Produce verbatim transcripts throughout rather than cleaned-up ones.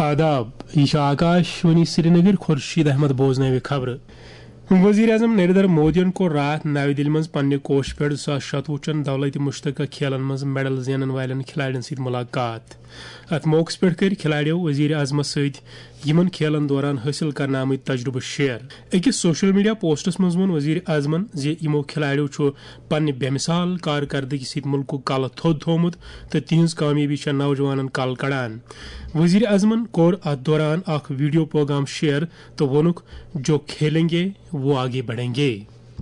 آداب، یہِ چھِ آکاش وانی سرینگر۔ خورشید احمد بوزناوِ خبرٕ۔ وزیر اعظم نریندر مودیَن کوٚر راتھ نَوِ دِلہِ منٛز پننہِ کوشہِ پٮ۪ٹھ زٕ ساس شَتوُہ چٮ۪ن دولت مشترکہ کھیلن منٛز میڈل زینن والٮ۪ن کھلاڑٮ۪ن سۭتۍ ملاقات۔ اتھ موقعس پٮ۪ٹھ کٔرۍ کھلاڑیو وزیر اعظمس سۭتۍ یِمن کھیلن دوران حٲصِل کرنہٕ آمٕتۍ تجربہٕ شیئر۔ أکِس سوشل میڈیا پوسٹس منٛز ووٚن وزیر اعظمن زِ یِمو کھلاڑیو چھُ پننہِ بے مثال کارکردگی سۭتۍ مُلکُک کلہٕ تھوٚد تھوومُت تہٕ تِہنٛز کامیٲبی چھےٚ نوجوانن کلہٕ کڑان۔ وزیر اعظمن کوٚر اتھ دوران اکھ ویڈیو پیغام شیئر تہٕ ووٚنُکھ، "جو کھیلیں گے، وہ آگے بڑھیں گے۔"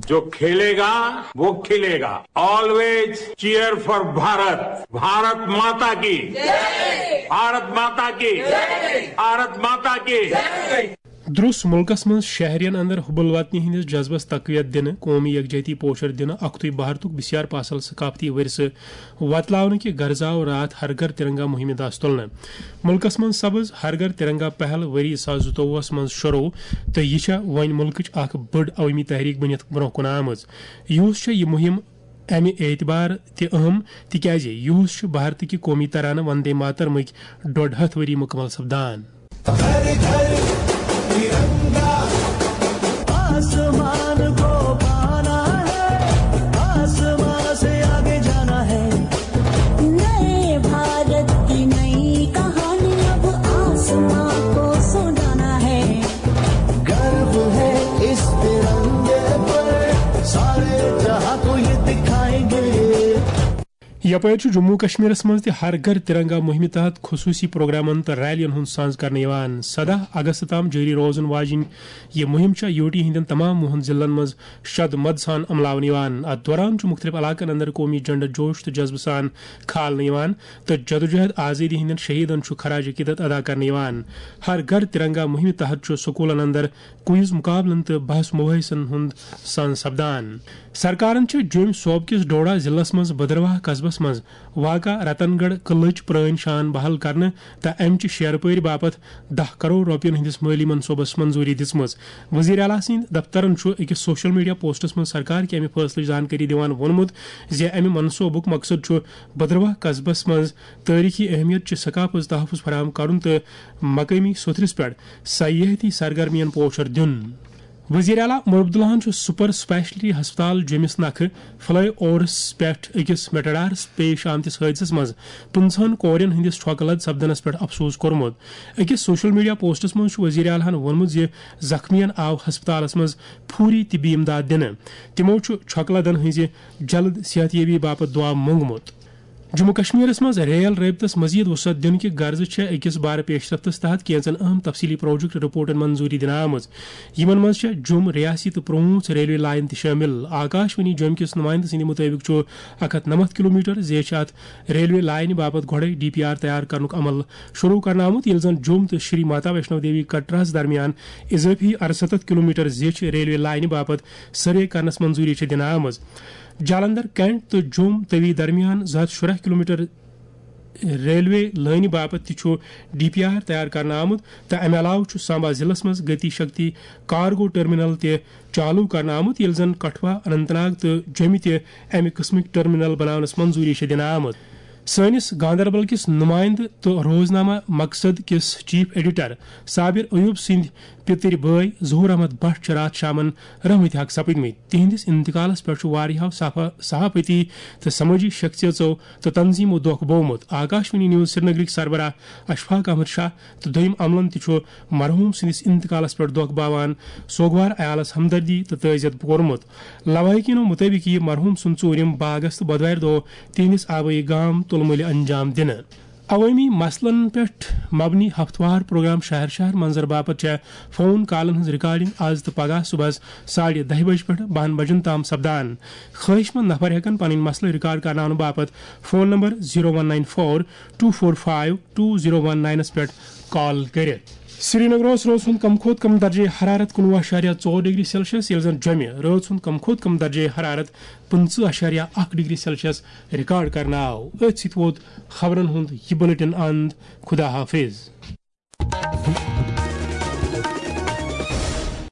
جو کھیلے گا، وہ کھلے گا۔ Always cheer for Bharat. Bharat ماتا کی۔ بھارت ماتا کی۔ بھارت ماتا کی۔ درس ملکس منٛز شہرین اندر حب الوطنی ہندس جذبس تقویت دِنہٕ، قومی یکجہتی پوشر دِنہٕ، اکتُے بھارتُک بسیار پاسل ثقافتی ورثہٕ وۄتلاونہٕ کہِ غرضہٕ آو راتھ ہر گھر ترنگا مہمہِ دس تُلنہٕ۔ ملکس منٛز سپٕز ہر گھر ترنگا پہل ؤری زٕ ساس زٕتووُہس منٛز شروع تہٕ یہِ چھےٚ وۄنۍ ملکٕچ اکھ بٔڑ عوٲمی تحریک بٔنِتھ برونٛہہ کُن آمٕژ۔ یِہُس چھےٚ یہِ مہم امہِ اعتبار تہِ اہم تِکیازِ یِہُس چھُ بھارتٕکہِ قومی ترانہٕ وندے ماترمٕکۍ ڈۄڈ ہتھ ؤری مُکمل سپدان۔ آسمان کو پانا ہے، آسمان سے آگے جانا ہے۔ نئے بھارت کی نئی کہانی اب آسمان کو سنانا ہے۔ گرو ہے اس ترنگے پر، سارے جہاں کو یہ دکھائیں گے۔ یپٲرۍ چھُ جموں کشمیرس منٛز تہِ ہر گھر ترنگا مہمہِ تحت خصوصی پروگرامن تہٕ ریلین ہُنٛد سانز کرنہٕ یِوان۔ سداہ اگست تام جٲری روزن واجِنۍ یہِ مہم چھےٚ یوٗ ٹی ہٕنٛدٮ۪ن تمام وُہن ضلعن منٛز شد مد سان عملاونہٕ یِوان۔ اتھ دوران چھُ مُختٔلِف علاقن اندر قومی جھنڈٕ جوش تہٕ جذبہٕ سان کھالنہٕ یِوان تہٕ جدوجہد آزٲدی ہٕنٛدٮ۪ن شہیدن چھُ خراج عقیدت ادا کرنہٕ یِوان۔ ہر گھر ترنگا مہمہِ تحت چھُ سکوٗلن اندر کوئز مقابلن تہٕ بحث مباحثن ہُنٛد سانز سپدان۔ سرکارن چھِ جوٚمۍ صوبہٕ کِس ڈوڈا ضلعس منٛز بدرواہ قصبس منٛز واقع رتن گڑھ قلعٕچ پرٲنۍ شان بحال کرنہٕ تہٕ امہِ چہِ شیرپٲرۍ باپتھ دَہ کرور رۄپین ہٕنٛدِس مٲلی منصوبس منظوٗری دِژمٕژ۔ وزیر اعلیٰ سٕنٛدۍ دفترن چھُ أکِس سوشل میڈیا پوسٹس منٛز سرکار کہِ امہِ فٲصلٕچ زانکٲری دِوان ووٚنمُت زِ امہِ منصوبُک مقصد چھُ بدرواہ قصبس منٛز تٲریخی اہمیت چہِ ثقافت تحفظ فراہم کرُن تہٕ مقٲمی سوٚتھرِس پٮ۪ٹھ سیاحتی سرگرمین پوشر دیُن۔ وزیر اعلیٰ عمر عبداللہن چھُ سپر سپیشلٹی ہسپتال جوٚمِس نکھٕ فلائی اوورس پٮ۪ٹھ أکِس میٹاڈارس پیش آمتِس حٲدثس منٛز پٕنٛژٕہن کورٮ۪ن ہٕنٛدِس چھۄکہٕ لد سپدنس پٮ۪ٹھ افسوس کوٚرمُت۔ أکِس سوشل میڈیا پوسٹس منٛز چھُ وزیر اعلیٰ ہن ووٚنمُت زِ زخمیَن آو ہسپتالس منٛز فوری طبی امداد دِنہٕ۔ تِمو چھُ چھۄکہٕ لدن ہٕنٛزِ جلد صحت یابی باپتھ دعا مونگمُت۔ جموں کشمیرس منٛز ریل رٲبطس مزید وسعت دِنہٕ کہِ غرضہٕ چھےٚ أکِس بارٕ پیش رفتس تحت کینٛژن اہم تفصیلی پروجیکٹ رپورٹن منظوٗری دِنہٕ آمٕژ۔ یِمن منٛز چھےٚ جوٚم ریاسی تہٕ پرٛونٛژھ ریلوے لائن تہِ شٲمِل۔ آکاش وانی جوٚم کِس نُمٲیندٕ سٕنٛدِ مُطٲبِق چھُ اکھ ہتھ نَمَتھ کلومیٹر زیچھِ اتھ ریلوے لائنہِ باپتھ گۄڈَے ڈی پی آر تیار کرنُک عمل شروع کرنہٕ آمُت، ییٚلہِ زن جوٚم تہٕ شری ماتا ویشنو دیوی کٹراہس درمیان اضٲفی اَرسَتتھ کلومیٹر زیچھِ ریلوے لائنہِ باپتھ سروے کرنس منظوٗری چھےٚ دِنہٕ آمٕژ۔ جالندھر کینٹ تہٕ جوٚم توی درمیان زٕ ہتھ شُراہ کلومیٹر ریلوے لٲنہِ باپتھ تہِ چھُ ڈی پی آر تیار کرنہٕ آمُت تہٕ امہِ علاوٕ چھُ سامبا ضلعس منٛز گتی شکتی کارگو ٹرمینل تہِ چالو کرنہٕ آمُت، ییٚلہِ زن کٹھوا، اننت ناگ تہٕ جوٚمہِ تہِ امہِ قٕسمٕکۍ ٹرمینل بناونس منظوٗری چھےٚ دِنہٕ آمٕژ۔ سٲنِس گاندربل کِس نُمایندٕ تہٕ روزنامہ مقصد کِس چیف ایڈیٹر صابر ایوب سٕنٛدۍ پِتٕرۍ بٲے ظہور احمد بٹ چھِ راتھ شامن رحمتِ حق سپٕدمٕتۍ۔ تِہنٛدِس انتقالس پٮ۪ٹھ چھُ واریاہو صحافہ-، صحافتی تہٕ سمٲجی شخصیژو تہٕ تنظیمو دۄکھ بوومُت۔ آکاشوانی نیوز سرینگرٕکۍ سربراہ اشفاق احمد شاہ تہٕ دوٚیم عملن تہِ چھُ مرحوم سٕنٛدِس انتقالس پٮ۪ٹھ دۄکھ باوان سوگوار عیالس ہمدردی تہٕ تعزیت کوٚرمُت۔ لوایقینو مُطٲبِق یِیہِ مرحوم سُنٛد ژوٗرِم باغس تہٕ بۄدوارِ دۄہ تِہنٛدِس آبٲیی گام تُلمُلہِ انجام دِنہٕ۔ عوٲمی مسلن پٮ۪ٹھ مبنی ہفتہٕ وار پروگرام شہر شہر منظر باپتھ چھےٚ فون کالن ہٕنٛز ریکارڈنگ از تہٕ پگاہ صبحس ساڑِ دَہہِ بجہِ پٮ۪ٹھ بَہَن بجن تام سپدان۔ خٲہِش مند نفر ہٮ۪کن پنٕنۍ مسلہٕ ریکارڈ کرناونہٕ باپتھ phone number zero one nine four two four five two zero one ناینس پٮ۪ٹھ کال کٔرِتھ۔ سرینگرس رٲژ ہُنٛد کم کھۄتہٕ کم درجہ حرارت کُنوُہ اَشاریہ ژور ڈگری سیلسیس، ییٚلہِ زن جوٚمہِ رٲژ ہُنٛد کم کھۄتہٕ کم درجہ حرارت پٕنٛژٕہ اَشاریہ اَکھ ڈگری سیلسیس ریکارڈ کرنہٕ آو۔ أتھۍ سۭتۍ ووت خبرن ہُنٛد یہِ بلیٹن اند۔ خدا حافظ۔